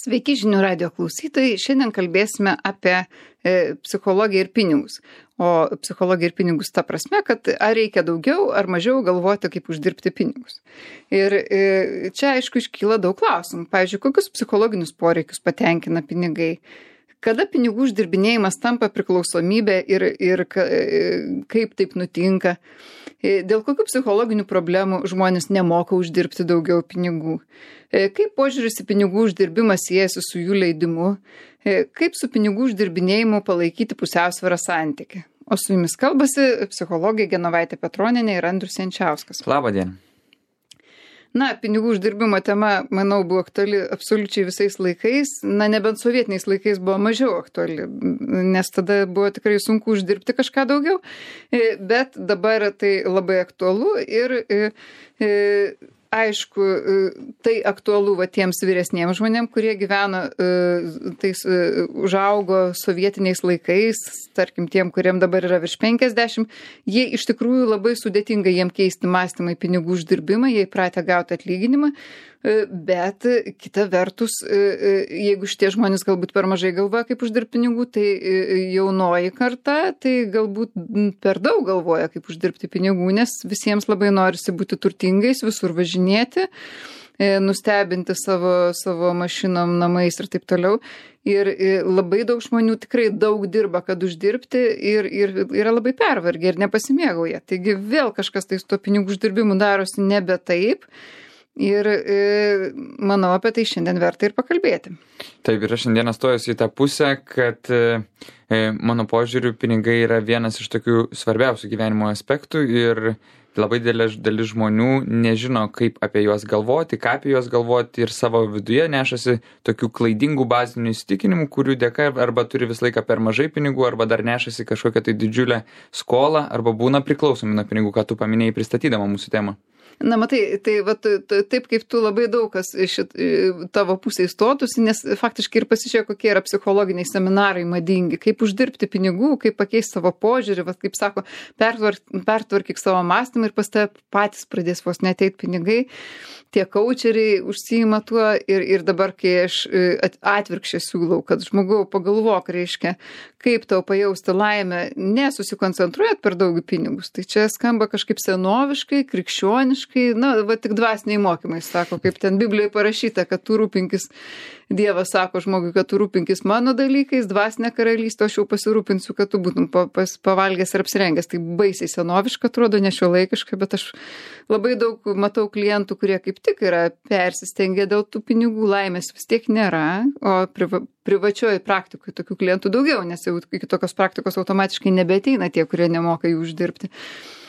Sveiki žinių radio klausytojai. Šiandien kalbėsime apie psichologiją ir pinigus. O psichologiją ir pinigus ta prasme, kad ar reikia daugiau ar mažiau galvoti, kaip uždirbti pinigus. Ir čia aišku iškyla daug klausimų. Pavyzdžiui, kokius psichologinius poreikius patenkina pinigai? Kada pinigų uždirbinėjimas tampa priklausomybė ir kaip taip nutinka? Dėl kokių psichologinių problemų žmonės nemoka uždirbti daugiau pinigų? Kaip požiūris į pinigų uždirbimą siejasi su jų leidimu? Kaip su pinigų uždirbinėjimu palaikyti pusiausvyrą santykį? O su jumis kalbasi psichologė Genovaitė Petronienė ir Andrius Jančiauskas. Labą dieną. Na, pinigų uždirbimo tema, manau, buvo aktuali absoliučiai visais laikais. Na, nebent sovietiniais laikais buvo mažiau aktuali, nes tada buvo tikrai sunku uždirbti kažką daugiau. Bet dabar tai labai aktualu ir aišku, tai aktualu tiems vyresniems žmonėms, kurie gyveno, užaugo sovietiniais laikais, tarkim tiem, kuriem dabar yra virš 50, jie iš tikrųjų labai sudėtinga jiem keisti mąstymą į pinigų uždirbimą, jie įpratę gauti atlyginimą, bet kita vertus, jeigu šitie žmonės galbūt per mažai galvoja, kaip uždirbti pinigų, tai jaunoji karta, tai galbūt per daug galvoja, kaip uždirbti pinigų, nes visiems labai norisi būti turtingais, visur važinėti, nustebinti savo mašinom, namais ir taip toliau. Ir labai daug žmonių tikrai daug dirba, kad uždirbti ir yra labai pervargę ir nepasimėgauja. Taigi vėl kažkas tai su to pinigų uždirbimu darosi nebe taip. Ir manau, apie tai šiandien verta ir pakalbėti. Taip, ir aš šiandieną stojusi į tą pusę, kad mano požiūriu pinigai yra vienas iš tokių svarbiausių gyvenimo aspektų ir labai dalis žmonių nežino, kaip apie juos galvoti, ką apie juos galvoti ir savo viduje nešasi tokių klaidingų bazinių įsitikinimų, kurių dėka arba turi visą laiką per mažai pinigų, arba dar nešasi kažkokią tai didžiulę skolą, arba būna priklausomi nuo pinigų, ką tu paminėjai pristatydama mūsų temą. Na, matai, tai taip kaip tu labai daug kas iš tavo pusėje stotųsi, nes faktiškai ir pasižiūrėjo, kokie yra psichologiniai seminarai madingi, kaip uždirbti pinigų, kaip pakeisti savo požiūrį, kaip sako, pertvarkyk savo mąstymą ir pas tave patys pradės vos neateit pinigai. Tie kaučeriai užsiima tuo ir dabar, kai aš atvirkščiai siūlau, kad žmogau pagalvok, reiškia, kaip tau pajausti laimę, nesusikoncentruojat per daug į pinigus. Tai čia skamba kažkaip senoviškai, krikščioniškai, na, tik dvasiniai mokymai sako, kaip ten Biblijoje parašyta, kad tu rūpinkis, Dievas sako žmogui, kad tu rūpinkis mano dalykais, dvasinė karalystė, aš jau pasirūpinsiu, kad tu būtum pavalgęs ir apsirengęs. Tai baisiai senoviška atrodo, nešiuolaikiška, bet aš labai daug matau klientų, kurie kaip tik yra persistengę dėl tų pinigų, laimės vis tiek nėra, o privačioje praktikoje tokių klientų daugiau, nes jau iki tokios praktikos automatiškai nebeateina tie, kurie nemoka jų uždirbti.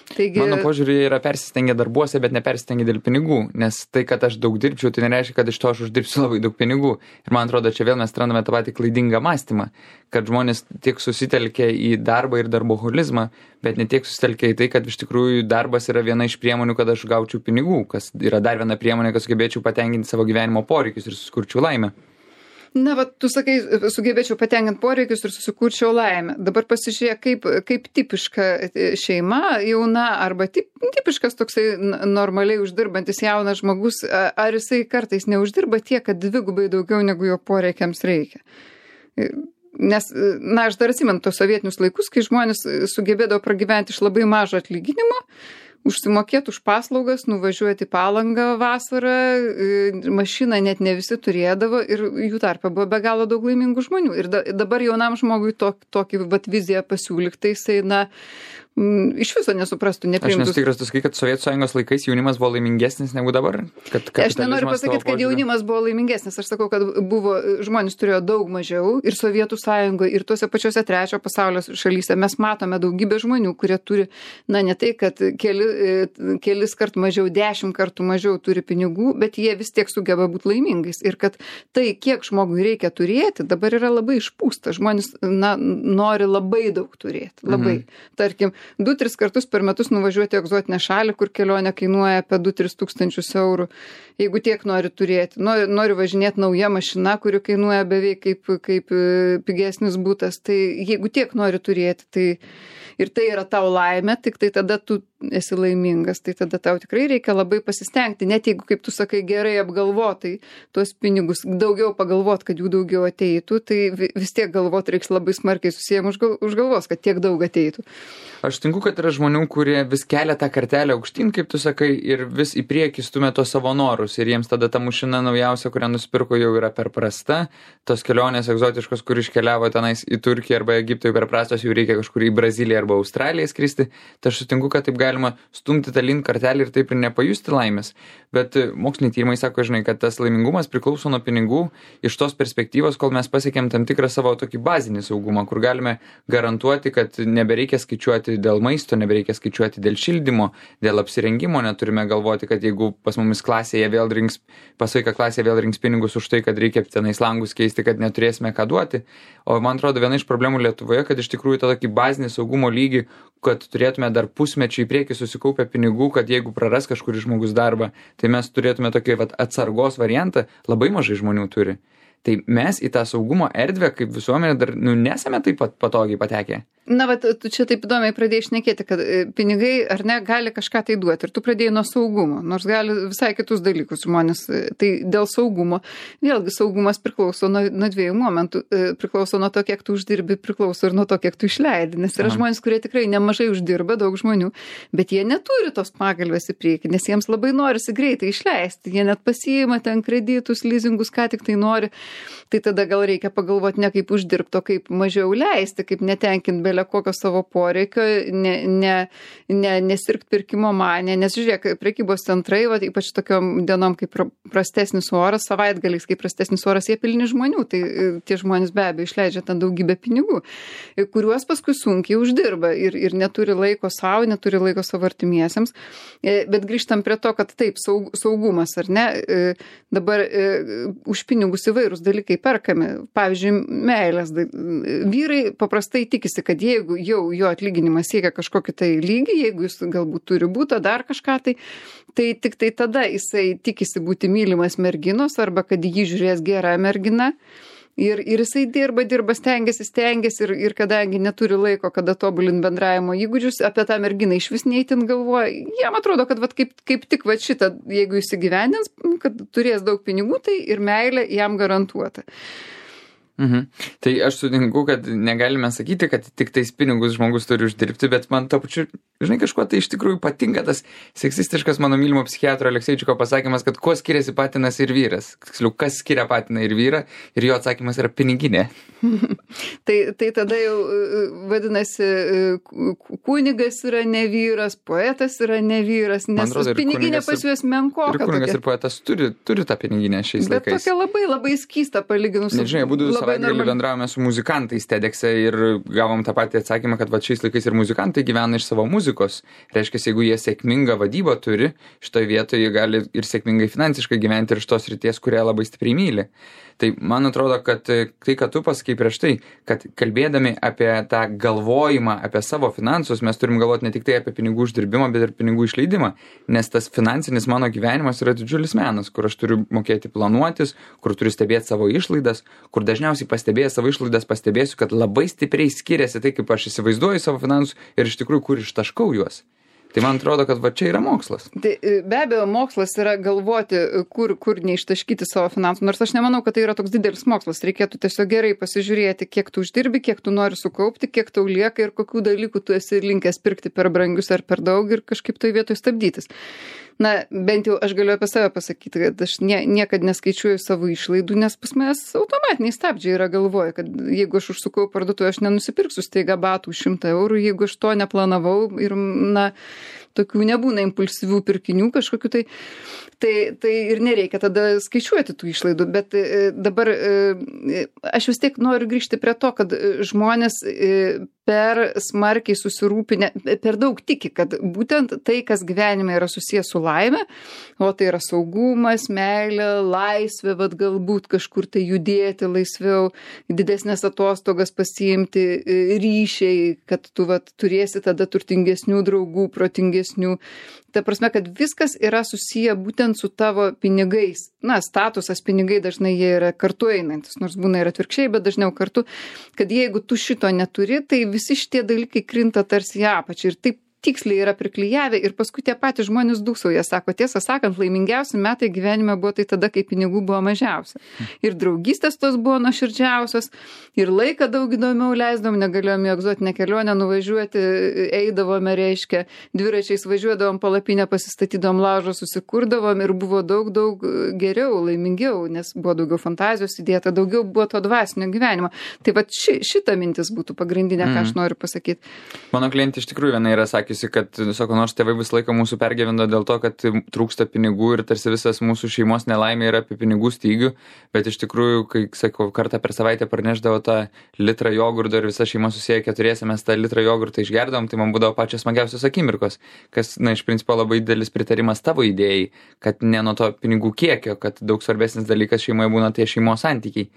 Taigi... Mano požiūrį yra persistengę darbuose, bet nepersistengę dėl pinigų, nes tai, kad aš daug dirbčiau, tai nereiškia, kad iš to aš uždirbsiu labai daug pinigų. Ir man atrodo, čia vėl mes randame tą patį klaidingą mąstymą, kad žmonės tiek susitelkia į darbą ir darboholizmą, bet ne tiek susitelkia į tai, kad iš tikrųjų darbas yra viena iš priemonių, kad aš gaučiau pinigų, kas yra dar viena priemonė, kad sugebėčiau patenkinti savo gyvenimo poreikius ir susikurčiau laimę. Na, tu sakai, sugebėčiau patenkinti poreikius ir susikurčiau laimę. Dabar pasižiūrėk, kaip tipiška šeima, jauna arba tipiškas toksai normaliai uždirbantis jaunas žmogus, ar jisai kartais neuždirba tiek, kad dvigubai daugiau negu jo poreikiams reikia. Nes, na, aš dar atsimenu tos sovietinius laikus, kai žmonės sugebėdavo pragyventi iš labai mažo atlyginimo, užsimokėti už paslaugas, nuvažiuoti į Palangą vasarą, mašiną net ne visi turėdavo ir jų tarpe buvo be galo daug laimingų žmonių. Ir dabar jaunam žmogui tokį viziją pasiūlyk, tai jisai, na, iš viso nesuprastų, nepriimtų. Aš nesu tikras, tu sakai, kad Sovietų Sąjungos laikais jaunimas buvo laimingesnis negu dabar? Aš nenoriu pasakyti, kad jaunimas buvo laimingesnis. Aš sakau, kad žmonės turėjo daug mažiau ir Sovietų Sąjungoje, ir tuose pačiuose trečio pasaulio šalyse mes matome daugybę žmonių, kurie turi, na, ne tai, kad kelis kart mažiau, 10 kartų mažiau turi pinigų, bet jie vis tiek sugeba būti laimingais. Ir kad tai, kiek žmogui reikia turėti, dabar yra labai išpūsta. Žmonės, na, nori labai daug turėti. Labai. Tarkim, 2-3 kartus per metus nuvažiuoti į egzotinę šalį, kur kelionė kainuoja apie 2-3 tūkstančius eurų, jeigu tiek nori turėti. Nori važinėti nauja mašina, kuri kainuoja beveik kaip pigesnis būtas. Tai jeigu tiek nori turėti, tai ir tai yra tau laimė, tik tai tada tu esi laimingas, tai tada tau tikrai reikia labai pasistengti, net jeigu, kaip tu sakai, gerai apgalvotai tuos pinigus, daugiau pagalvot, kad jų daugiau ateitų, tai vis tiek galvot reiks labai smarkiai susijęm už galvos, kad tiek daug ateitų. Aš tinku, kad yra žmonių, kurie vis kelia tą kartelę aukštyn, kaip tu sakai, ir vis į priekį stumia tos savo norus, ir jiems tada ta mašina naujausia, kurią nusipirko, jau yra per prasta, tos kelionės egzotiškos, kur iškeliavo tenais į Turkiją arba Egiptą, jau per prastos, jau reikia kažkur į Braziliją arba Australiją skristi, tai aš sutinku, kad taip galima stumti tą link kartelį ir taip ir nepajusti laimės. Bet moksliniai tyrimai sako, žinai, kad tas laimingumas priklauso nuo pinigų iš tos perspektyvos, kol mes pasiekėm tam tikrą savo tokį bazinį saugumą, kur galime garantuoti, kad nebereikia skaičiuoti dėl maisto, nebereikia skaičiuoti dėl šildymo, dėl apsirengimo, neturime galvoti, kad jeigu pas mumis klasėje vėl rinks, pas vaiką klasėje vėl rinks pinigus už tai, kad reikia tenais langus keisti, kad neturėsime ką duoti. O man atrodo, viena iš problemų Lietuvoje, kad iš tikrųjų tą tokį bazinį saugumo lygį, kad turėtume dar pusmečių į priekį susikaupę pinigų, kad jeigu praras kažkuris žmogus darbą, tai mes turėtume tokį atsargos variantą, labai mažai žmonių turi. Tai mes į tą saugumo erdvę kaip visuomenė dar nesame taip pat patogiai patekę. Na, bet tu čia taip įdomiai pradėjai šnekėti, kad pinigai ar ne gali kažką tai duoti. Ir tu pradėjai nuo saugumo, nors gali visai kitus dalykus žmonės. Tai dėl saugumo, vėlgi saugumas priklauso nuo dviejų momentų. Priklauso nuo to, kiek tu uždirbi, priklauso ir nuo to, kiek tu išleidi. Nes yra žmonės, kurie tikrai nemažai uždirba, daug žmonių, bet jie neturi tos pagalbės į priekį, nes jiems labai norisi greitai išleisti. Jie net pasiima ten kreditus, lizingus, ką tik tai nori. Tai tada gal reikia pagalvoti ne kaip uždirbti, o kaip mažiau leisti, kaip netenkinti belė kokio savo poreikio, nesirgt pirkimo manę, nes žiūrėk, prekybos centrai, va, ypač tokiom dienom kaip prastesnis oras, savaitgaliais kaip prastesnis oras, jie pilni žmonių, tai tie žmonės be abejo išleidžia ten daugybę pinigų, kuriuos paskui sunkiai uždirba ir neturi laiko savo, neturi laiko savo artimiesiems. Bet grįžtam prie to, kad taip, saugumas, ar ne, dabar už pinigus įvairūs dalykai perkami, pavyzdžiui, meilės. Vyrai paprastai tikisi, kad jeigu jau jo atlyginimas siekia kažkokį tai lygį, jeigu jis galbūt turi būtą dar kažką, tai tik tai tada jisai tikisi būti mylimas merginos arba kad jį žiūrės gera mergina. Ir jisai dirba, stengiasi ir kadangi neturi laiko, kada tobulint bendravimo įgūdžius, apie tą merginą iš vis neįtin galvoja. Jam atrodo, kad kaip tik šitą, jeigu jis įgyvendins, kad turės daug pinigų, tai ir meilė jam garantuota. Tai aš sutinku, kad negalime sakyti, kad tik tais pinigus žmogus turi uždirbti, bet man to pačiu, žinai, kažkuo tai iš tikrųjų patinka tas seksistiškas mano mylimo psichiatro Alekseičiko pasakymas, kad kuo skiriasi patinas ir vyras. Tiksliau, kas skiria patiną ir vyrą, ir jo atsakymas yra piniginė. tai tada jau vadinasi, kunigas yra ne vyras, poetas yra ne vyras, nes piniginė pas juos menkoka. Ir kunigas ir poetas turi tą piniginę šiais laikais. Bet tokia labai, labai skysta palyginus. Nežinai, būdų savaitgalį bendravome su muzikantais TEDx'e ir gavom tą patį atsakymą, kad šiais laikais ir muzikantai gyvena iš savo muzikos. Reiškia, jeigu jie sėkmingą vadybą turi, šitoje vietoje jie gali ir sėkmingai finansiškai gyventi ir iš tos ryties, kurią labai stipriai myli. Tai man atrodo, kad tai, kad tu pasakai prieš tai, kad kalbėdami apie tą galvojimą, apie savo finansus, mes turim galvoti ne tik tai apie pinigų uždirbimą, bet ir pinigų išleidimą. Nes tas finansinis mano gyvenimas yra didžiulis menas, kur aš turiu mokėti planuotis, kur turiu stebėti savo išlaidas, kur dažniausiai pastebėjęs savo išlaidas pastebėsiu, kad labai stipriai skiriasi tai, kaip aš įsivaizduoju savo finansus ir iš tikrųjų, kur ištaškau juos. Tai man atrodo, kad čia yra mokslas. Tai be abejo, mokslas yra galvoti, kur neištaškyti savo finansų. Nors aš nemanau, kad tai yra toks didelis mokslas. Reikėtų tiesiog gerai pasižiūrėti, kiek tu uždirbi, kiek tu nori sukaupti, kiek tau lieka ir kokių dalykų tu esi linkęs pirkti per brangius ar per daug ir kažkaip toj vietoj stabdytis. Na, bent jau aš galiu apie save pasakyti, kad aš niekad neskaičiuoju savo išlaidų, nes pas manęs automatiniai stabdžiai yra galvoje, kad jeigu aš užsukau parduotuvę, aš nenusipirksiu staiga batų 100 eurų, jeigu aš to neplanavau ir, na, tokių nebūna impulsyvių pirkinių kažkokiu tai ir nereikia tada skaičiuoti tų išlaidų, bet dabar aš vis tiek noriu grįžti prie to, kad žmonės per smarkiai susirūpinę, per daug tiki, kad būtent tai, kas gyvenime yra susijęs su laime, o tai yra saugumas, meilė, laisvė, vat galbūt kažkur tai judėti laisviau, didesnės atostogas pasiimti, ryšiai, kad tu vat turėsi tada turtingesnių draugų, protingesnių. Ta prasme, kad viskas yra susiję būtent su tavo pinigais. Na, statusas, pinigai dažnai jie yra kartu einantis, nors būna ir atvirkščiai, bet dažniau kartu, kad jeigu tu šito neturi, tai visi šitie dalykai krinta tarsi į apačią ir taip tiksliai yra priklijavę ir paskui tie patys žmonės dūsauja, sako, tiesą sakant, laimingiausi metai gyvenime buvo tai tada, kai pinigų buvo mažiausia. Ir draugystės tos buvo nuoširdžiausios, ir laiką daug įdomiau leisdavom, negalėjom į egzotinę kelionę nuvažiuoti, eidavome, reiškia, dviračiais važiuodavom, palapinę pasistatydavom, laužą susikurdavom ir buvo daug geriau, laimingiau, nes buvo daugiau fantazijos įdėta, daugiau buvo to dvasinio gyvenimo. Tai va šita mintis būtų pagrindinė, ką aš noriu pasakyti. Mano klientė iš tikrųjų viena yra sakiusi, kad, sako, nors tėvai visą laiką mūsų pergyveno dėl to, kad trūksta pinigų ir tarsi visas mūsų šeimos nelaimė yra apie pinigų stygių, bet iš tikrųjų, kai, sakau, kartą per savaitę parnešdavo tą litrą jogurto ir visa šeima susiję keturiese, mes tą litrą jogurtą išgerdavom, tai man būdavo pačios smagiausios akimirkos, kas, na, iš principo labai didelis pritarimas tavo idėjai, kad ne nuo to pinigų kiekio, kad daug svarbesnis dalykas šeimoje būna tie šeimos santykiai.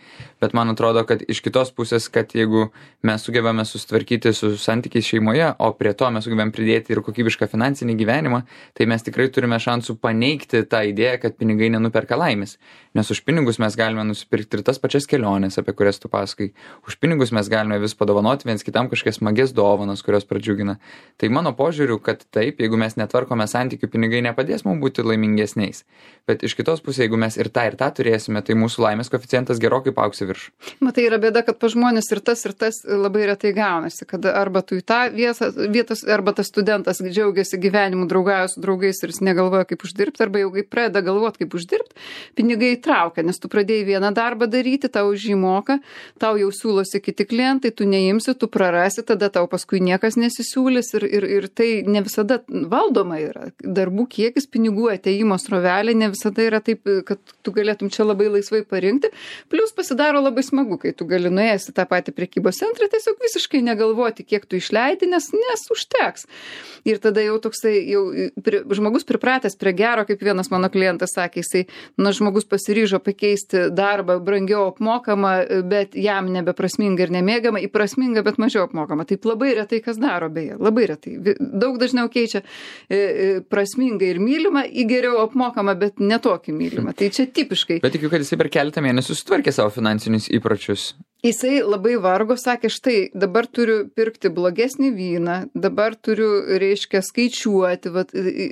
Bet man atrodo, kad iš kitos pusės, kad jeigu mes sugebame susitvarkyti su santykiais šeimoje, o prie to mes sugebame pridėti ir kokybišką finansinį gyvenimą, tai mes tikrai turime šansų paneigti tą idėją, kad pinigai nenuperka laimės. Nes už pinigus mes galime nusipirkti ir tas pačias keliones, apie kurias tu pasakai. Už pinigus mes galime vis padovanoti viens kitam kažkokias smagias dovanas, kurios pradžiugina. Tai mano požiūriu, kad taip, jeigu mes netvarkome santykių, pinigai nepadės mums būti laimingesniais. Bet iš kitos pusės, jeigu mes ir tą turėsime, tai mūsų laimės koeficientas gerokai paaugs į viršų. Matai, yra bėda, kad pa žmonės ir tas labai retai gaunasi, kad arba tu į tą vietas, arba tas studentas džiaugiasi gyvenimu, draugauja su draugais ir jis negalvoja, kaip uždirbti, arba jau kai pradeda galvoti, kaip uždirbti, pinigai traukia, nes tu pradėjai vieną darbą daryti, tau už jį moka, tau jau siūlosi kiti klientai, tu neimsi, tu prarasi, tada tau paskui niekas nesisiūlys ir tai ne visada valdoma yra. Darbų kiekis, pinigų ateimo srovelė ne visada yra taip, kad tu galėtum čia labai laisvai parinkti. Plius pasidaro labai smagu, kai tu gali nuėjęs į tą patį prekybos centrą, tiesiog visiškai negalvoti, kiek tu išleidi, nes užteks. Ir tada jau toksai, žmogus pripratęs prie gero, kaip vienas mano klientas sakė, jisai, žmogus pasiryžo pakeisti darbą brangiau apmokamą, bet jam nebeprasminga ir nemėgama, į prasmingą, bet mažiau apmokamą. Taip labai retai kas daro, beje, labai retai. Daug dažniau keičia prasmingą ir mylimą į geriau apmokamą, bet netokį mylimą. Tai čia tipiškai. Bet tikiu, kad jisai per keletą mėnesių sutvarkė savo finansinius įpročius. Jisai labai vargo, sakė, štai dabar turiu pirkti blogesnį vyną, dabar turiu, reiškia, skaičiuoti,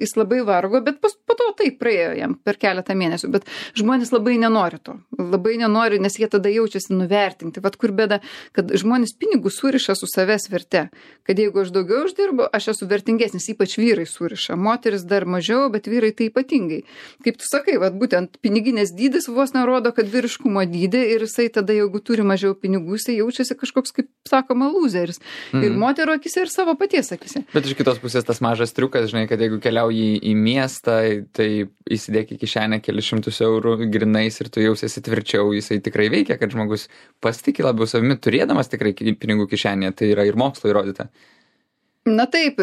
jis labai vargo, bet po to taip praėjo jam per keletą mėnesių, bet žmonės labai nenori to, nes jie tada jaučiasi nuvertinti, kur bėda, kad žmonės pinigų suriša su savęs verte, kad jeigu aš daugiau uždirbu, aš esu vertingesnis, ypač vyrai suriša, moteris dar mažiau, bet vyrai tai ypatingai. Kaip tu sakai, būtent piniginės dydis vos nerodo, kad vyriškumo dydį ir jisai tada, jeigu turi mažiau pinigų, jisai jaučiasi kažkoks, kaip sakoma, lūzeris. Ir moterų akise, ir savo paties akise. Bet iš kitos pusės tas mažas triukas, žinai, kad jeigu keliauji į miestą, tai įsidėk į kišenę kelius šimtus eurų grinais ir tu jausiesi tvirčiau, jisai tikrai veikia, kad žmogus pasitikė labiau savimi, turėdamas tikrai pinigų kišenėje, tai yra ir mokslo įrodyta. Na taip,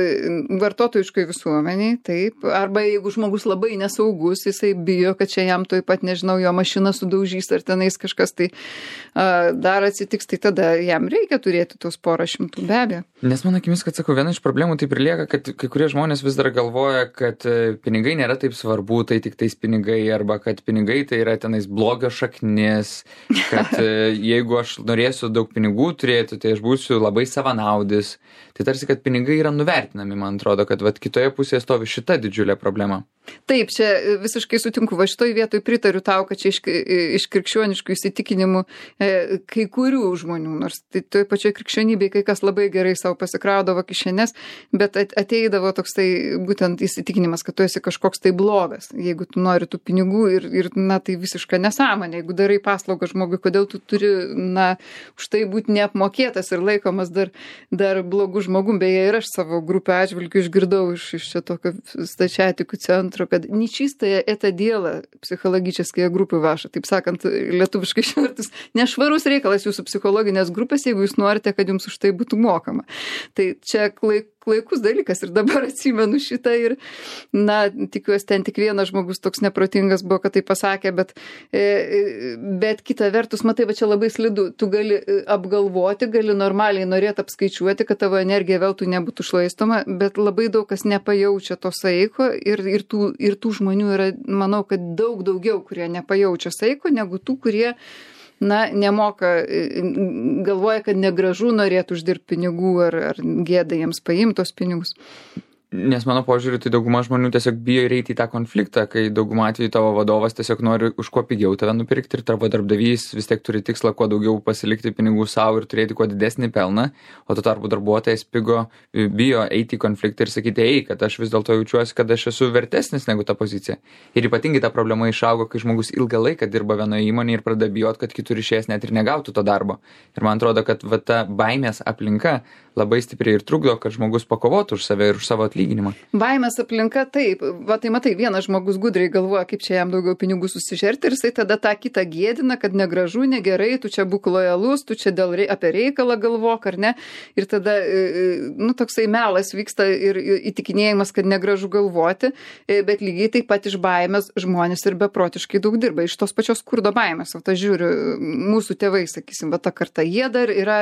vartotojiškai visuomeniai, taip. Arba jeigu žmogus labai nesaugus, jisai bijo, kad čia jam tuoj pat, nežinau, jo mašiną sudaužys ar tenais kažkas tai dar atsitiks, tai tada jam reikia turėti tos porą šimtų, be abejo. Nes mano akimis, kad sakau, viena iš problemų taip ir lieka, kad kai kurie žmonės vis dar galvoja, kad pinigai nėra taip svarbu, tai tik tais pinigai, arba kad pinigai tai yra tenais blogio šaknis, kad jeigu aš norėsiu daug pinigų turėti, tai aš būsiu labai savanaudis. Tai tarsi, kad pinigai yra nuvertinami, man atrodo, kad kitoje pusėje stovi šita didžiulė problema. Taip, čia visiškai sutinku, šitoj vietoj pritariu tau, kad čia iš krikščioniškų įsitikinimų kai kurių žmonių, nors tai toj pačioj krikščionybėje kai kas labai gerai savo pasikraudavo kišenes, bet ateidavo toksai būtent įsitikinimas, kad tu esi kažkoks tai blogas, jeigu tu nori tų pinigų ir tai visiška nesąmonė, jeigu darai paslaugą žmogui, kodėl tu turi, už tai būti neapmokėtas ir laikomas dar blogų žmogum. Beje, ir aš savo grupę atžvilgių išgirdau iš čia tokio stačiatikių centro, kad нечистое это дело психологические группы ваши, taip sakant, lietuviškai išvertus, nešvarus reikalas jūsų psichologinės grupės, jeigu jūs norite, kad jums už tai būtų mokama. Tai čia klaikus dalykas ir dabar atsimenu šitą ir, na, tikiuosi, ten tik vienas žmogus toks neprotingas buvo, kad tai pasakė, bet kita vertus, matai, va čia labai slidu, tu gali apgalvoti, gali normaliai norėti apskaičiuoti, kad tavo energija veltui nebūtų šlaistoma, bet labai daug kas nepajaučia to saiko ir tų žmonių yra, manau, kad daug daugiau, kurie nepajaučia saiko, negu tų, kurie nemoka, galvoja, kad negražu norėtų uždirbti pinigų ar gėda jiems paimti tos pinigus. Nes mano požiūriu, tai dauguma žmonių tiesiog bijo įeiti į tą konfliktą, kai dauguma atveju tavo vadovas tiesiog nori už kuo pigiau tave nupirkti ir tavo darbdavys vis tiek turi tikslą kuo daugiau pasilikti pinigų savo ir turėti kuo didesnį pelną, o tuo tarpu darbuotojas bijo eiti į konfliktą ir sakyti, kad aš vis dėlto jaučiuosi, kad aš esu vertesnis negu ta pozicija. Ir ypatingai ta problema išaugo, kai žmogus ilgą laiką dirba vienoje įmonėje ir pradeda bijot, kad kitur išėjęs net ir negautų to darbo. Ir man atrodo, kad ta baimės aplinka labai stipriai ir trukdo, kad žmogus pakovotų už save ir už savo atlyginimą. Baimės aplinka taip, tai matai, vienas žmogus gudriai galvoja, kaip čia jam daugiau pinigų susižerti ir jisai tada tą kitą gėdina, kad negražu, negerai, tu čia būk lojalus, tu čia apie reikalą galvok, ar ne? Ir tada, toksai melas vyksta ir įtikinėjimas, kad negražu galvoti, bet lygiai taip pat iš baimės žmonės ir beprotiškai daug dirba. Iš tos pačios skurdo baimės, aš žiūriu, mūsų tėvai, sakysim, ta karta, jie dar yra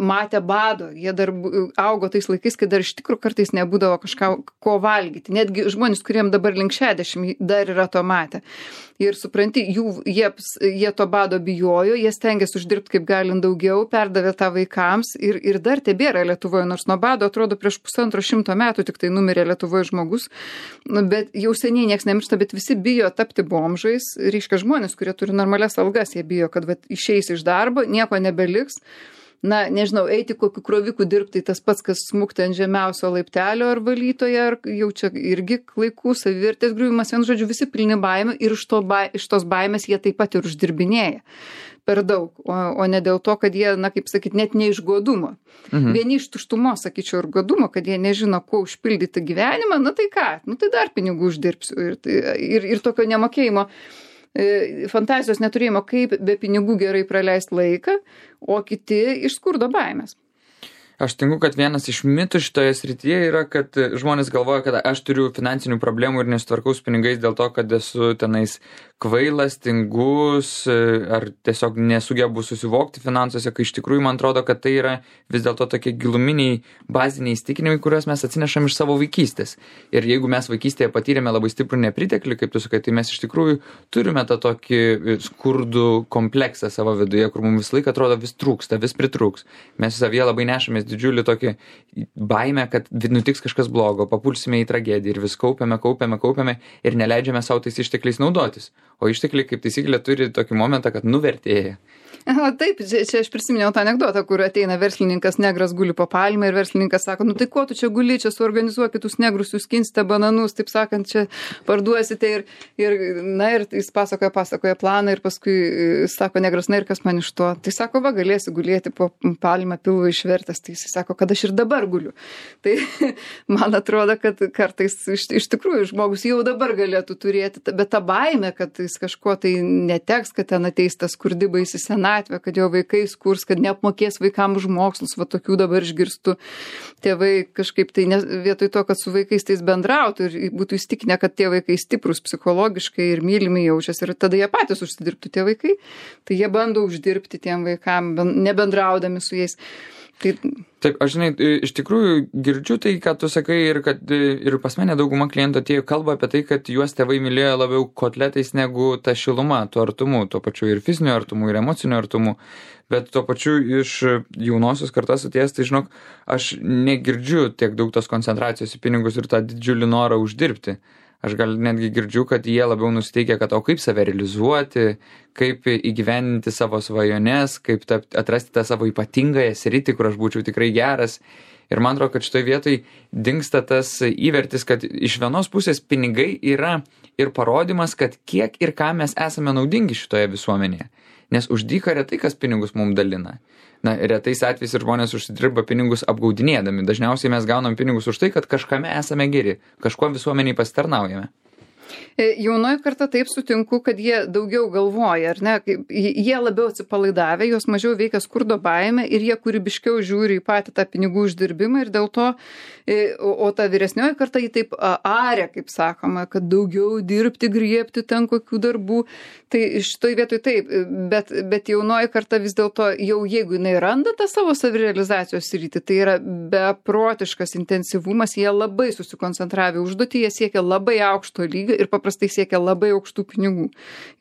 matę bado, jie dar augo tais laikais, kai dar iš tikrųjų kartais nebūdavo kažką ko valgyti. Netgi žmonės, kuriem dabar link 60, dar yra to matę. Ir supranti, jie to bado bijojo, jie stengiasi uždirbti kaip galint daugiau, perdavė tą vaikams ir dar tebėra Lietuvoje, nors nuo bado atrodo prieš 150 metų tik tai numirė Lietuvoje žmogus, bet jau seniai nieks nemiršta, bet visi bijo tapti bomžais, reiškia žmonės, kurie turi normalias algas, jie bijo, kad išeis iš darbo, nieko nebeliks. Nežinau, eiti kokiu kroviku dirbti, tas pats, kas smukti ant žemiausio laiptelio ar valytoje, ar jau čia irgi klaikų, savivertės griuvimas, vienu žodžiu, visi pilni baimių ir iš tos baimės jie taip pat ir uždirbinėja per daug, o ne dėl to, kad jie, kaip sakyt, net ne iš godumo. Vieni iš tuštumos, sakyčiau, ir godumo, kad jie nežino, kuo užpildyti gyvenimą, tai ką, tai dar pinigų uždirbsiu ir tokio nemokėjimo. Fantazijos neturėjimo, kaip be pinigų gerai praleisti laiką, o kiti iš skurdo baimės. Aš tinku, kad vienas iš mitų šitoje srityje yra, kad žmonės galvoja, kad aš turiu finansinių problemų ir nesutvarkau su pinigais dėl to, kad esu tenais kvailas, tingus ar tiesiog nesugebu susivokti finansuose, kai iš tikrųjų man atrodo, kad tai yra vis dėlto tokie giluminiai baziniai įsitikinimai, kuriuos mes atsinešam iš savo vaikystės. Ir jeigu mes vaikystėje patyrėme labai stiprų nepriteklį, kaip tu sakai, tai mes iš tikrųjų turime tą tokį skurdų kompleksą savo viduje, kur mums visą laiką atrodo vis trūksta, vis pritrūks. Mes savyje labai nešamės didžiulį tokį baimę, kad nutiks kažkas blogo, papulsime į tragediją ir vis kaupiame ir neleidžiame savo tais ištekliais naudotis. O ištekliai, kaip taisyklė, turi tokį momentą, kad nuvertėja. Taip, čia aš prisiminiau tą anekdotą, kur ateina verslininkas negras guli po palmę ir verslininkas sako, tai ko tu čia guli, čia suorganizuokit jūs negrus, jūs skinsite bananus, taip sakant, čia parduosite ir jis pasakoja planą ir paskui sako negras, ir kas man iš to? Tai sako, galėsi gulėti po palmę pilvą išvertęs, tai jis sako, kad aš ir dabar guliu. Tai man atrodo, kad kartais iš tikrųjų žmogus jau dabar galėtų turėti, bet ta baimė, kad jis kažko tai neteks, kad ten ateis tas skurdi baisi senatvė, kad jo vaikai skurs, kad neapmokės vaikams už mokslus, tokių dabar išgirstu. Tėvai kažkaip tai vietoj to, kad su vaikais tais bendrautų ir būtų įstikinę, kad tie vaikai stiprus psichologiškai ir mylimi jaučiasi ir tada jie patys užsidirbtų tie vaikai, tai jie bando uždirbti tiem vaikam, nebendraudami su jais. Taip, aš iš tikrųjų girdžiu tai, ką tu sakai ir kad ir pas mane dauguma klientų atėjo kalba apie tai, kad juos tėvai mylėjo labiau kotletais negu ta šiluma, tuo artumu, tuo pačiu ir fiziniu artumu, ir emociniu artumu, bet tuo pačiu iš jaunosios kartos atėjęs, tai žinok, aš negirdžiu tiek daug tos koncentracijos į pinigus ir tą didžiulį norą uždirbti. Aš gal netgi girdžiu, kad jie labiau nusiteikia, kad o kaip save realizuoti, kaip įgyvendinti savo svajones, kaip atrasti tą savo ypatingąją sritį, kur aš būčiau tikrai geras. Ir man atrodo, kad šitoje vietoje dingsta tas įvertis, kad iš vienos pusės pinigai yra ir parodimas, kad kiek ir ką mes esame naudingi šitoje visuomenėje. Nes už dyką retai kas pinigus mums dalina. Retais atvejais ir žmonės užsidirba pinigus apgaudinėdami. Dažniausiai mes gaunam pinigus už tai, kad kažkame esame geri, kažkuo visuomeniai pasitarnaujame. Jaunoji karta taip sutinku, kad jie daugiau galvoja, ar ne? Jie labiau atsipalaidavę, juos mažiau veikia skurdo baimė ir jie kūrybiškiau žiūri į patį tą pinigų uždirbimą ir dėl to, o ta vyresnioji karta jį taip arė, kaip sakoma, kad daugiau dirbti, griebti ten kokių darbų. Tai šitoj vietoj taip, bet jaunoji karta vis dėlto jau jeigu jinai randa tą savo savirealizacijos sritį, tai yra beprotiškas intensyvumas, jie labai susikoncentravę užduotį, jie siekia labai aukšto lygio ir paprastai siekia labai aukštų pinigų.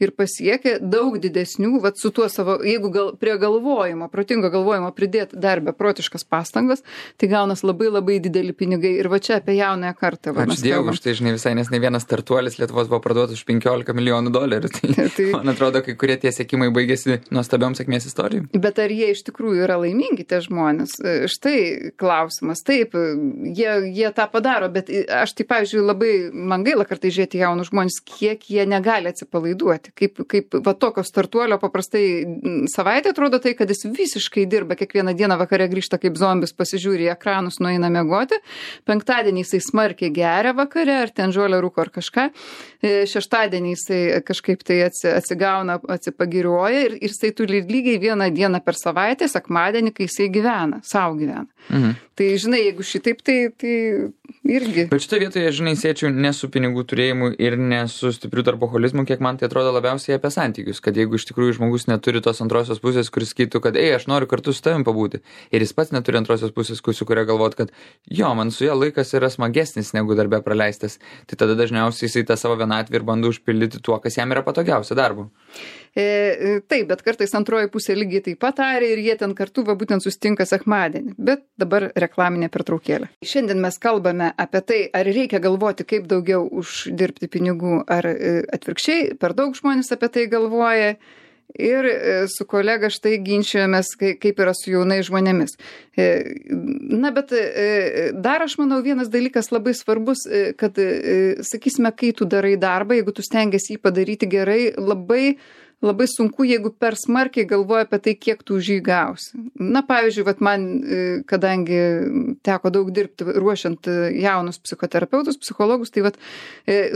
Ir pasiekia daug didesnių, vat su tuo savo, jeigu prie galvojimo, protingo galvojimo pridėti dar beprotiškas pastangas, tai gaunas labai labai dideli pinigai. Ir va čia apie jaunąją kartą. Ačiū Dievui, už tai, žinai, visai nes ne vienas startuolis Lietuvos buvo parduotas už 15 milijonų dolerių. Tai man atrodo, kai kurie tie sėkimai baigėsi nuostabiom sėkmės istorijom. Bet ar jie iš tikrųjų yra laimingi tie žmonės? Štai klausimas. Taip, jie tą padaro, bet aš tai, pavyzdžiui, labai man gaila kartais žiūrėti jaunus žmonės, kiek jie negali atsipalaiduoti. Kaip va tokio startuolio paprastai savaitę atrodo tai, kad jis visiškai dirba, kiekvieną dieną vakare grįžta kaip zombis, pasižiūri į ekranus, nueina miegoti. Penktadienį jisai smarkiai geria vakare, ar ten žolę rūko ar kažką. Šeštadienį jisai kažkaip tai atsigauna, atsipagiriuoja ir jisai turi lygiai vieną dieną per savaitę, sekmadienį, kai jisai gyvena, savo gyvena. Mhm. Tai, žinai, jeigu šitaip, tai irgi. Bet šitoje vietoje, žinai, siečiau ne su pinigų turėjimu ir ne su stipriu darboholizmu, kiek man tai atrodo labiausiai apie santykius, kad jeigu iš tikrųjų žmogus neturi tos antrosios pusės, kuris sakytų, kad aš noriu kartu su tavim pabūti, ir jis pats neturi antrosios pusės, su kuria galvot, kad jo, man su ja laikas yra smagesnis negu darbe praleistas, tai tada dažniausiai jisai tą savo vienatvę ir bando užpildyti tuo, kas jam yra patogiausia darbu. Taip, bet kartais antroji pusė lygiai taip pat arė ir jie ten kartu va būtent sustinka sekmadienį. Bet dabar reklaminė pertraukėlė. Šiandien mes kalbame apie tai, ar reikia galvoti, kaip daugiau uždirbti pinigų, ar atvirkščiai, per daug žmonės apie tai galvoja. Ir su kolega štai ginčiojomės, kaip yra su jaunais žmonėmis. Na, bet dar aš manau vienas dalykas labai svarbus, kad, sakysime, kai tu darai darbą, jeigu tu stengiasi jį padaryti gerai, labai sunku, jeigu per smarkiai galvoja apie tai, kiek tu už jį gausi. Na, pavyzdžiui, vat man, kadangi teko daug dirbti ruošiant jaunus psichoterapeutus, psichologus, tai vat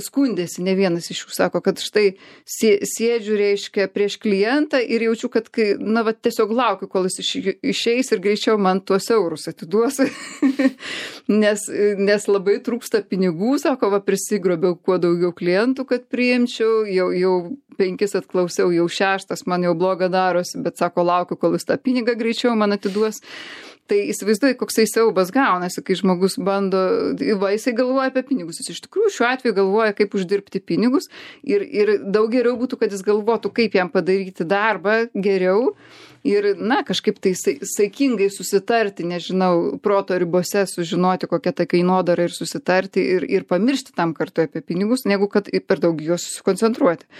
skundėsi, ne vienas iš jų sako, kad štai sėdžiu, reiškia, prieš klientą ir jaučiu, kad na, vat tiesiog laukiu, kol jis išeis ir greičiau man tuos eurus atiduos, nes labai trūksta pinigų, sako, va prisigrobiau kuo daugiau klientų, kad priimčiau, jau 5 atklausiau, jau 6 man jau bloga darosi, bet sako, laukiu, kol jis tą pinigą greičiau man atiduos. Tai įsivaizduoju, koksai siaubas gaunasi, kai žmogus bando, jisai galvoja apie pinigus. Jis iš tikrųjų šiuo atveju galvoja, kaip uždirbti pinigus ir daug geriau būtų, kad jis galvotų, kaip jam padaryti darbą geriau ir, na, kažkaip tai saikingai susitarti, nežinau, proto ribose sužinoti, kokia ta kainodara ir susitarti ir pamiršti tam kartu apie pinigus, negu kad per daug juos susikoncentruoti.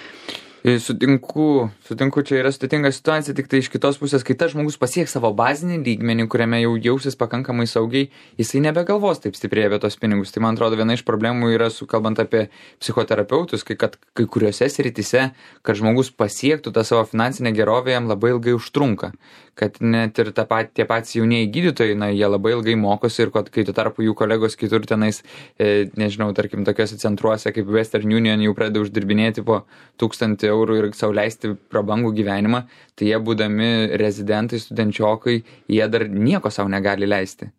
Sutinku, čia yra sudėtinga situacija, tik tai iš kitos pusės, kai tas žmogus pasieks savo bazinį lygmenį, kuriame jau jausis pakankamai saugiai, jisai nebegalvos taip stipriai apie tos pinigus. Tai man atrodo, viena iš problemų yra, kalbant apie psichoterapeutus, kad kai kuriuose srityse, kad žmogus pasiektų tą savo finansinę gerovę, jam labai ilgai užtrunka. Kad net ir tie patys jaunieji gydytojai, na, jie labai ilgai mokosi ir kai tu tarpu jų kolegos kitur tenais, nežinau, tarkim, tokiuose centruose kaip Western Union jau pradeda uždirbinėti po 1000 eurų ir sau leisti prabangų gyvenimą, tai jie būdami rezidentai, studenčiokai, jie dar nieko sau negali leisti.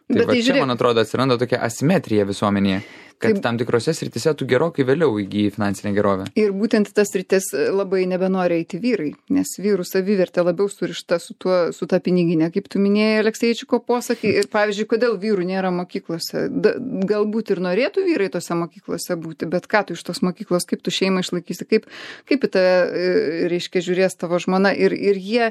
Tai va čia, man atrodo, atsiranda tokia asimetrija visuomenėje, kad tam tikrose srityse tu gerokai vėliau įgyji finansinę gerovę. Ir būtent tas sritis labai nebenori eiti vyrai, nes vyrų savivertė labiau surišta su ta piniginė, kaip tu minėjai Alekseičiko posakį. Ir pavyzdžiui, kodėl vyrų nėra mokyklose? Galbūt ir norėtų vyrai tose mokyklose būti, bet ką tu iš tos mokyklos, kaip tu šeimą išlaikysi, kaip į tą, reiškia, žiūrės tavo žmona ir jie,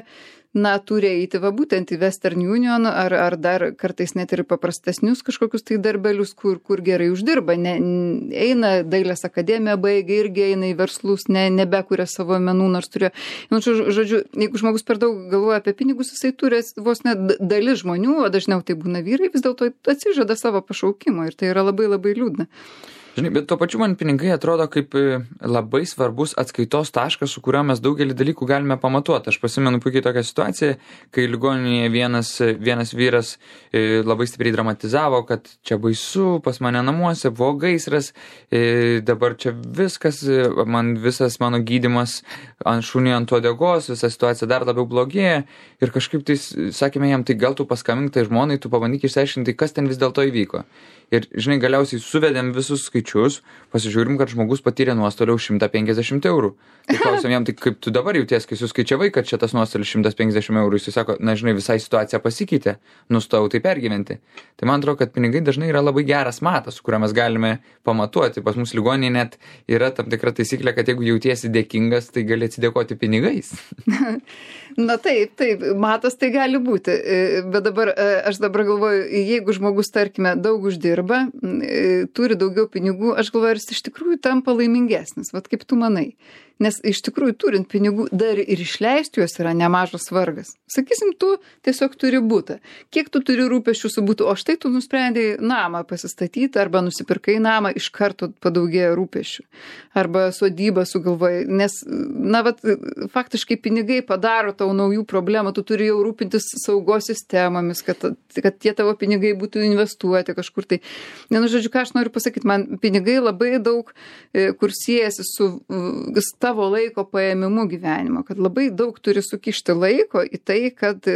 na, turi eiti va būtent į Western Union ar dar kartais net ir paprastesnius kažkokius tai darbelius, kur gerai uždirba. Eina dailės akademiją, baigia irgi eina į verslus, nebekuria savo menų, nors turėjo. Nu, žodžiu, jeigu žmogus per daug galvoja apie pinigus, jisai turi vos net dalis žmonių, o dažniau tai būna vyrai, vis dėlto atsižada savo pašaukimo ir tai yra labai labai liūdna. Žinai, bet tuo pačiu man pinigai atrodo kaip labai svarbus atskaitos taškas, su kuriuo mes daugelį dalykų galime pamatuoti. Aš prisimenu puikiai tokią situaciją, kai ligoninėje vienas vyras labai stipriai dramatizavo, kad čia baisu, pas mane namuose buvo gaisras, dabar čia viskas, visas mano gydymas ant šunį ant uodegos, visa situacija dar labiau blogėja. Ir kažkaip tai sakėme jam, tai gal tu paskambink tai žmonai, tu pabandyk išsiaiškinti, kas ten vis dėlto įvyko. Ir, žinai, galiausiai suvedėm visus skaičius, pasižiūrim, kad žmogus patyrė nuostolių 150 eurų. Tai klausim jam, tai kaip tu dabar jauties, kai suskaičiavai, kad šitas nuostolis 150 eurų, jis sako, na, žinai, visai situacija pasikeitė, nustojau tai pergyventi. Tai man atrodo, kad pinigai dažnai yra labai geras matas, su kuriuo mes galime pamatuoti. Pas mus ligoninėje net yra tam tikra taisyklė, kad jeigu jautiesi dėkingas, tai gali atsidėkoti pinigais. Na taip, matas tai gali būti. Bet dabar, aš dabar galvoju, jeigu žmogus, tarkime, daug uždirba, turi daugiau pinigų, aš galvoju, ar jis iš tikrųjų tampa laimingesnis, vat kaip tu manai. Nes iš tikrųjų turint pinigų dar ir išleisti juos yra nemažas vargas. Sakysim, tu tiesiog turi butą. Kiek tu turi rūpesčių su butu, o štai tu nusprendėjai namą pasistatyti arba nusipirkai namą, iš karto padaugėjo rūpesčių. Arba sodybą sugalvojai. Nes, na, vat, faktiškai pinigai padaro tau naujų problemų, tu turi jau rūpintis saugos sistemomis, kad tie tavo pinigai būtų investuoti kažkur tai. Vienu žodžiu, ką aš noriu pasakyti, man pinigai labai daug, kur siejasi su tavo laiko paėmimu gyvenimo, kad labai daug turi sukišti laiko į tai, kad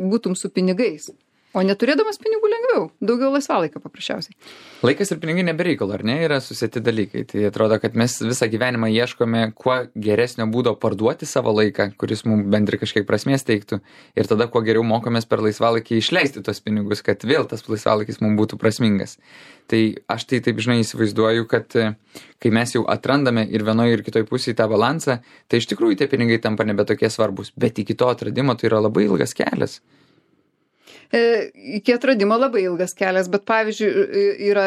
būtum su pinigais. O neturėdamas pinigų lengviau, daugiau laisvalaikio paprasčiausiai. Laikas ir pinigai nebereikalo, ar ne, yra susieti dalykai. Tai atrodo, kad mes visą gyvenimą ieškome kuo geresnio būdo parduoti savo laiką, kuris mums bendrai kažkiek prasmės teiktų. Ir tada kuo geriau mokomės per laisvalaikį išleisti tos pinigus, kad vėl tas laisvalaikis mums būtų prasmingas. Tai aš tai taip, žinai, įsivaizduoju, kad kai mes jau atrandame ir vienoje ir kitoje pusėje tą balansą, tai iš tikrųjų tie pinigai tampa nebe tokie svarbus. Bet iki to atradimo tai yra labai ilgas kelias. Iki atradimo labai ilgas kelias, bet pavyzdžiui yra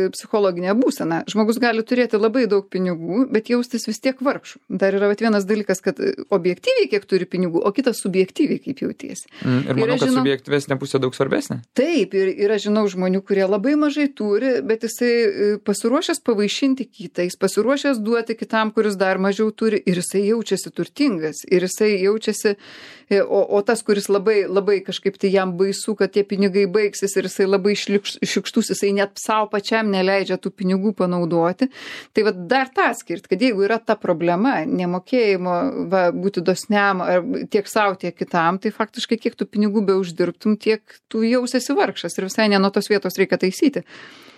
psichologinė būsena. Žmogus gali turėti labai daug pinigų, bet jaustis vis tiek vargšų. Dar yra vienas dalykas, kad objektyviai kiek turi pinigų, o kitas subjektyviai kaip jautiesi. Ir manau, kad subjektyvesnė pusė daug svarbesnė. Taip, ir aš žinau žmonių, kurie labai mažai turi, bet jisai pasiruošęs pavaišinti kitą, jis pasiruošęs duoti kitam, kuris dar mažiau turi, ir jisai jaučiasi turtingas, ir jisai jaučiasi, o tas, kuris labai, labai kažkaip tai jam baisu, kad tie pinigai baigsis ir jisai labai šiukštus, jisai net savo pačiam neleidžia tų pinigų panaudoti. Tai va dar tą skirt, kad jeigu yra ta problema, nemokėjimo būti dosniam ar tiek savo, tiek kitam, tai faktiškai kiek tų pinigų be uždirbtum, tiek tu jausiesi vargšas ir visai ne nuo tos vietos reikia taisyti.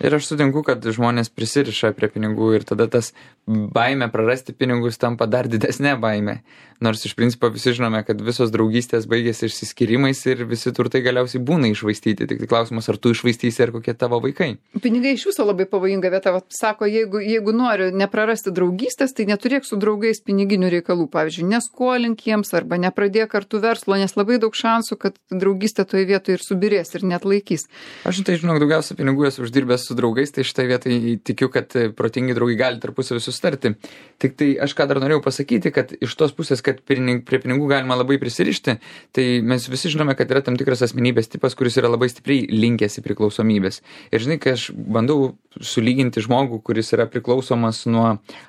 Ir aš sutinku, kad žmonės prisiriša prie pinigų ir tada tas baimė prarasti pinigus tampa dar didesnė baimė. Nors iš principo visi žinome, kad visos draugystės baigėsi išsiskyrimais ir visi turtai galiausiai būna išvaistyti. Tik tai klausimas, ar tu išvaistysi, ar kokie tavo vaikai. Pinigai iš viso labai pavojinga vieta. Sako, jeigu nori neprarasti draugystės, tai neturėk su draugais piniginių reikalų. Pavyzdžiui, neskolink jiems arba nepradėk kartu verslo, nes labai daug šansų, kad draugystė toje vietoje ir subirės ir net laikys. Aš tai žinau, daugiausia pinigų esu uždirbęs su draugais, tai štai vietai tikiu, kad protingi draugai gali tarpusavį susitarti. Tik tai aš ką dar norėjau pasakyti, kad iš tos pusės, kad prie pinigų galima labai prisirišti, tai mes visi žinome, kad yra tam tikras asmenybės tipas, kuris yra labai stipriai linkęs į priklausomybės. Ir žinai, kai aš bandau sulyginti žmogų, kuris yra priklausomas nuo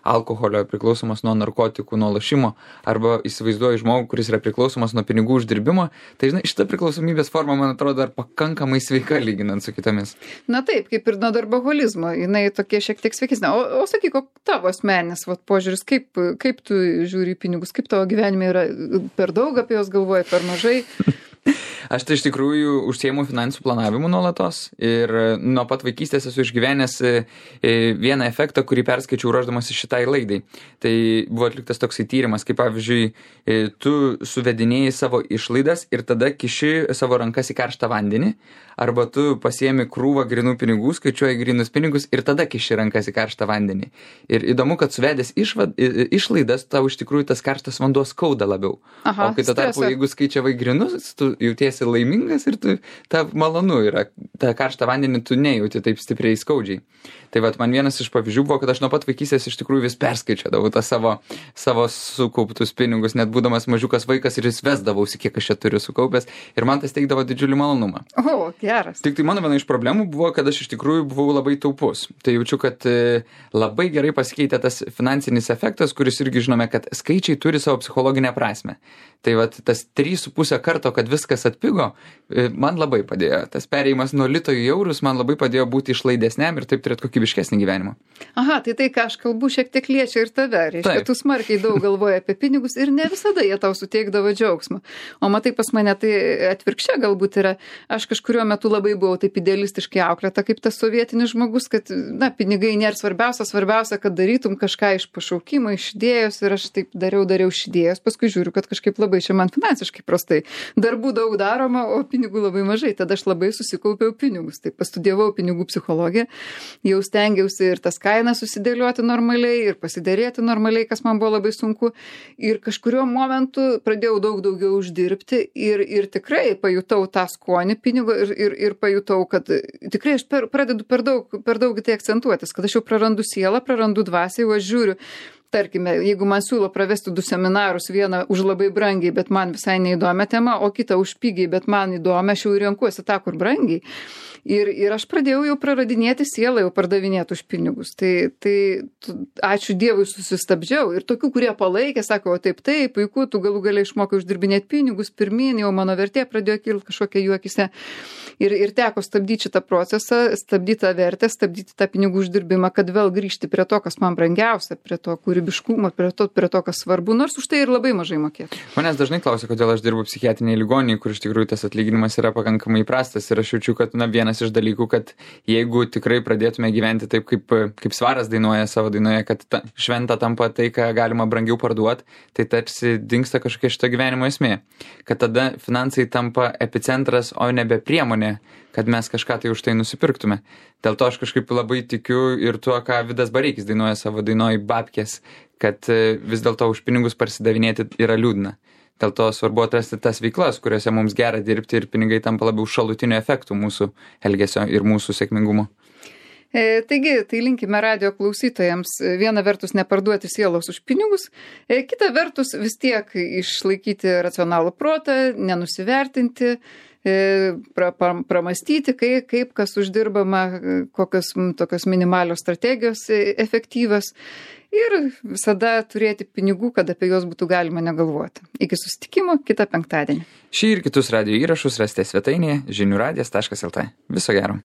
alkoholio, priklausomas nuo narkotikų, nuo lošimo, arba įsivaizduoju žmogų, kuris yra priklausomas nuo pinigų uždirbimo, tai žinai, šita priklausomybės forma, man atrodo, dar pakankamai sveika lyginant su kitomis. Na taip, kaip ir nuo darboholizmo, jinai tokie šiek tiek sveikesnė. O sakyk, tavo asmeninis požiūris, kaip tu žiūri į pinigus, kaip tavo gyvenime yra, per daug apie juos galvoji, per mažai? Aš tai iš tikrųjų užsiimu finansų planavimu nuolatos ir nuo pat vaikystės esu išgyvenęs vieną efektą, kurį perskaičiau ruošdamas šitai laidai. Tai buvo atliktas toksai tyrimas, kaip pavyzdžiui, tu suvedinėjai savo išlaidas ir tada kiši savo rankas į karštą vandenį, arba tu pasiemi krūvą grinų pinigų, skaičiuoji grinus pinigus ir tada kiši rankas į karštą vandenį. Ir įdomu, kad suvedęs išlaidas, tau iš tikrųjų tas karštas vanduo skauda labiau. Aha, o kai tuo tarpu, jeigu skaičiavai grinus, tu jauties jautiesi laimingas ir tu, ta malonu yra, tą karštą vandenį tu nejauti taip stipriai skaudžiai. Tai vat man vienas iš pavyzdžių buvo, kad aš nuo pat vaikystės iš tikrųjų vis perskaičiadavau tą savo sukauptus pinigus, net būdamas mažiukas vaikas ir vis vesdavausi, kiek aš čia turiu sukaupęs ir man tas teikdavo didžiulį malonumą. O, geras. Tik tai mano viena iš problemų buvo, kad aš iš tikrųjų buvau labai taupus. Tai jaučiu, kad labai gerai pasikeitė tas finansinis efektas, kuris irgi žinome, kad skaičiai turi savo psichologinę prasme. Tai vat tas 3,5 karto, kad viskas atpigo, man labai padėjo. Tas perėjimas nuo lito į eurus man labai padėjo būti išlaidesniam ir taip turėti kokybiškesnį gyvenimą. Aha, tai ką aš kalbu šiek tiek liečia ir tave. Reiškia, tu smarkiai daug galvoji apie pinigus ir ne visada jie tau suteikdavo džiaugsmą. O matai, pas mane tai atvirkščia galbūt yra. Aš kažkuriuo metu labai buvau taip idealistiškai auklėta kaip tas sovietinis žmogus, kad, pinigai nėra svarbiausia, kad darytum kažką iš pašaukimo, iš idėjos ir aš taip dariau iš idėjos. Paskui žiūriu, kad kažkaip labai čia man finansiškai prastai. Darbų daug daroma, o pinigų labai mažai. Tada aš labai susikaupiau pinigus. Tai pastudijavau pinigų psichologiją. Jau stengiausi ir tas kainas susidėlioti normaliai ir pasiderėti normaliai, kas man buvo labai sunku. Ir kažkuriuo momentu pradėjau daug daugiau uždirbti ir tikrai pajutau tą skonį pinigo ir pajutau, kad tikrai aš pradedu per daug tai akcentuotis, kad aš jau prarandu sielą, prarandu dvasią, jau aš žiūriu. Tarkime, jeigu man siūlo pravesti 2 seminarus, vieną už labai brangiai, bet man visai neįdomią temą, o kitą už pigiai, bet man įdomią, aš jau renkuosi tą, kur brangiai. Ir aš pradėjau jau praradinėti sielą, jau pardavinėti už pinigus. Tai ačiū Dievui susistabdžiau. Ir tokių, kurie palaikė, sako, o taip, puiku, tu galų galiai išmokai uždirbinėti pinigus, pirmyn jau mano vertė pradėjo kilti kažkokia juokise. Ir teko stabdyti šitą procesą, stabdyti tą vertę, stabdyti tą pinigų uždirbimą, kad vėl grįžti prie to, kas man brangiausia, prie to kūrybiškumo, prie to, kas svarbu, nors už tai ir labai mažai mokėtų. Manęs dažnai klausia, kodėl aš dirbu psichiatrinėje ligoninėje, kur iš tikrųjų tas atlyginimas yra pakankamai prastas ir aš jaučiu, kad vienas iš dalykų, kad jeigu tikrai pradėtume gyventi taip, kaip Svaras dainuoja savo dainoje, kad šventa tampa tai, ką galima brangiau parduoti, tai tarsi dingsta kažkokia šito gyvenimo esmė. Kad tada finansai tampa epicentras, o nebe priemonė, kad mes kažką tai už tai nusipirktume. Dėl to aš kažkaip labai tikiu ir tuo, ką Vidas Bareikis dainuoja savo dainoj Babkės, kad vis dėlto už pinigus parsidavinėti yra liūdna. Dėl to svarbu atrasti tas veiklas, kuriuose mums gera dirbti ir pinigai tampa labiau šalutiniu efektu mūsų elgesio ir mūsų sėkmingumo. Taigi, tai linkime radijo klausytojams viena vertus neparduoti sielos už pinigus, kita vertus vis tiek išlaikyti racionalų protą, nenusivertinti, pramastyti, kaip kas uždirbama, kokios tokios minimalios strategijos efektyvios ir visada turėti pinigų, kad apie juos būtų galima negalvoti. Iki susitikimo kitą penktadienį. Šį ir kitus radijo įrašus rasite svetainėje žiniųradijas.lt. Viso gero.